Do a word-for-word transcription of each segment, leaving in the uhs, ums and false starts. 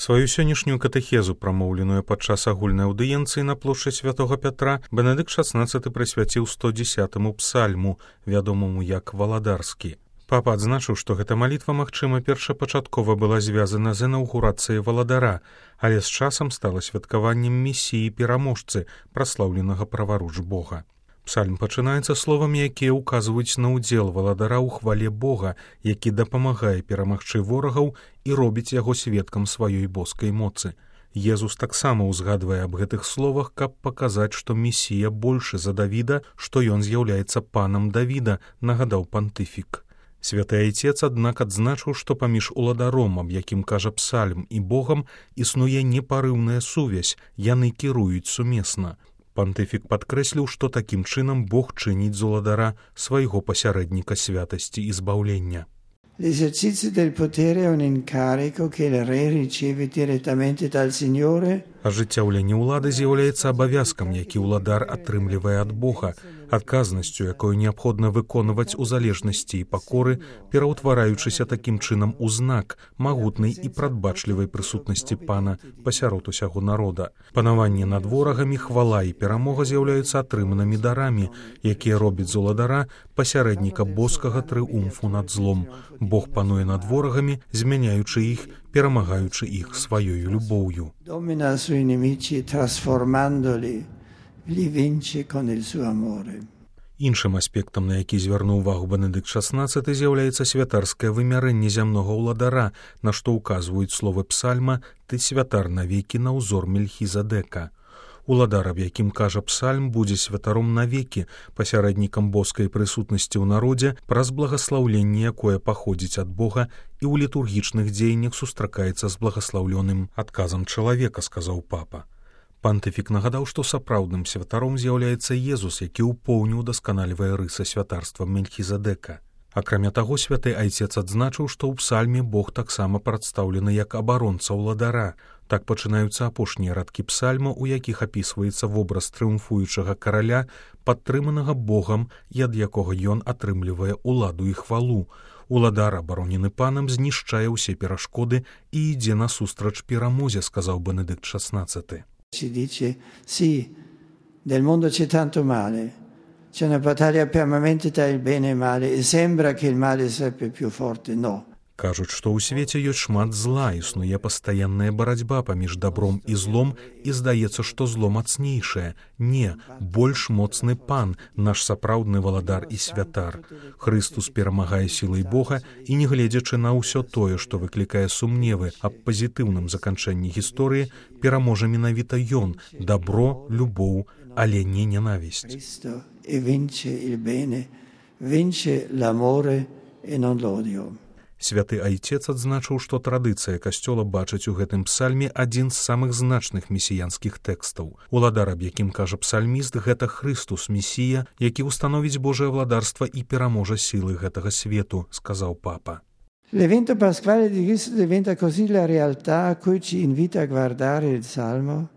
Сваю сённяшнюю катэхезу, прамоўленую падчас агульнай аўдыенцыі на плошчы святога Пятра, Бенедыкт шаснаццаты прысвяціў сто дзесятаму псальму, вядомаму як валадарскі. Папа адзначыў, што гэта малітва, магчыма, першапачаткова была звязана з інаўгурацыяй валадара, але з часам стала святкаваннем місіі пераможцы, праслаўленага праваруч Бога. Псальм пачынаецца словамі, якія ўказваюць на ўдзел валадара ў хвале Бога, які дапамагае перамагчы ворагаў і робіць яго сведкам сваёй боскай моцы. Езус таксама ўзгадвае аб гэтых словах, каб паказаць, што Месія большы за Давіда, што ён з'яўляецца панам Давіда, нагадаў пантыфік. Святы Айцец, аднак, адзначыў, што паміж уладаром, аб якім кажа псальм, і Богам існуе непарыўная сувязь, яны кіруюць сумесна. Пантыфік падкрэсліў, што такім чынам Бог чыніць з уладара свайго пасярэдніка святасці і збаўлення. L'esercizio del potere è un incarico che il re riceve direttamente dal Signore. Ажыццяўленне ўлады з'яўляецца абавязкам, які ўладар атрымлівае ад Бога, адказнасцю, якую неабходна выконваць у залежнасці і пакоры, пераўтвараючыся такім чынам у знак магутнай і прадбачлівай прысутнасці пана пасярод усяго народа. Панаванне над ворагамі, хвала і перамога з'яўляюцца атрыманымі дарамі, якія робяць з уладара пасярэдніка боскага трыумфу над злом. Бог пануе над ворагамі, змяняючы іх, перамагаючы іх сваёю любоўю. Domina sui nemici trasformandoli, li vince con il suo amore. Іншым аспектам, на які звярнуў увагу Бенедыкт шаснаццаты, з'яўляецца святарскае вымярэнне зямнога ўладара, на што ўказваюць словы псальма «Ты святар навекі на ўзор Мельхізадека». Уладар, аб якім кажа псальм, будзе святаром навекі, пасярэднікам боскай прысутнасці ў народзе, праз благаслаўленне, якое паходзіць ад Бога і ў літургічных дзеяннях сустракаецца з благаслаўлёным адказам чалавека, сказаў папа. Пантыфік нагадаў, што сапраўдным святаром з'яўляецца Езус, які ў поўню ўдасканальвае рысы святарства Мельхізадека. Акрамя таго, святы Айцец адзначыў, што ў псальме Бог таксама прадстаўлены як абаронца ўладара. Так пачынаюцца апошнія радкі псальма, у якіх апісваецца вобраз трыумфуючага караля, падтрыманага Богам і ад якога ён атрымлівае ўладу і хвалу. Уладар, абаронены панам, знішчае ўсе перашкоды і ідзе насустрач перамозе, сказаў Бенедыкт шаснаццаты. Si dice, sì, nel mondo c'è tanto male, c'è una battaglia permanente tra il bene e il male e sembra che il male sia sempre più forte, no. Кажуць, што ў свеце ёсць шмат зла, існуе пастаянная барацьба паміж дабром і злом, і здаецца, што зло мацнейшае. Не, больш моцны пан, наш сапраўдны валадар і святар. Хрыстус перамагае сілай Бога, і, не гледзячы на ўсё тое, што выклікае сумневы аб пазітыўным заканчэнні гісторыі, пераможа менавіта ён, дабро, любоў, але не ненавісць. E vince il bene, vince l'amore e non l'odio. Святы Айцец адзначыў, што традыцыя касцёла бачыць у гэтым псальме адзін з самых значных месіянскіх тэкстаў. Уладар, аб якім кажа псальміст, гэта Хрыстус, Месія, які ўстановіць Божае владарства і пераможа сілы гэтага свету, сказаў папа. L'evento pasquale di Cristo diventa così la realtà a cui ci invita a guardare il Salmo.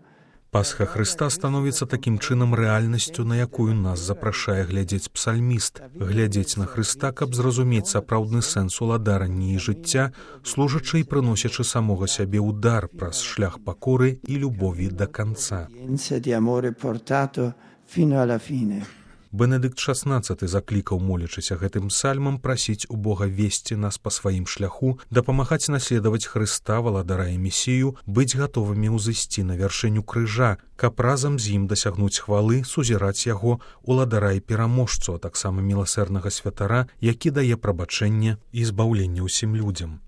Пасха Хрыста становіцца такім чынам рэальнасцю, на якую нас запрашае глядзець псальміст, глядзець на Хрыста, каб зразумець сапраўдны сэнс уладарання і жыцця, служачы і прыносячы самога сябе ў дар праз шлях пакоры і любові да канца. Бенедыкт шаснаццаты заклікаў, молячыся гэтым псальмам, прасіць у Бога весці нас па сваім шляху, дапамагаць наследаваць Хрыста, валадара і Месію, быць гатовымі ўзысці на вяршыню крыжа, каб разам з ім дасягнуць хвалы, сузіраць яго, уладара і пераможцу, а таксама міласэрнага святара, які дае прабачэнне і збаўленне ўсім людзям.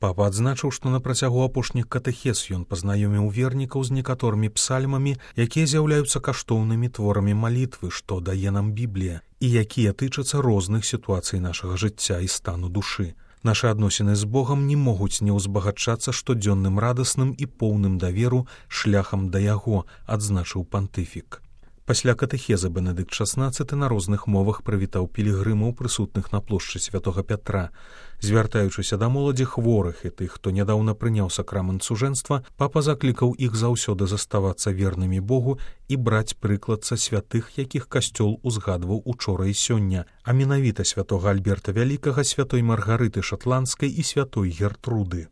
Папа адзначыў, што на працягу апошніх катэхез ён пазнаёміў вернікаў з некаторымі псальмамі, якія з'яўляюцца каштоўнымі творамі малітвы, што дае нам Біблія, і якія тычацца розных сітуацый нашага жыцця і стану душы. Нашы адносіны з Богам не могуць не ўзбагачацца штодзённым радасным і поўным даверу шляхам да яго, адзначыў пантыфік. Пасля катэхезы Бенедыкт шаснаццаты на розных мовах прывітаў пілігрымаў, прысутных на плошчы святога Пятра. Звяртаючыся да моладзі, хворых і тых, хто нядаўна прыняў сакрамент сужэнства, папа заклікаў іх заўсёды заставацца вернымі Богу і браць прыклад са святых, якіх касцёл узгадваў учора і сёння, а менавіта святога Альберта Вялікага, святой Маргарыты Шатландскай і святой Гертруды.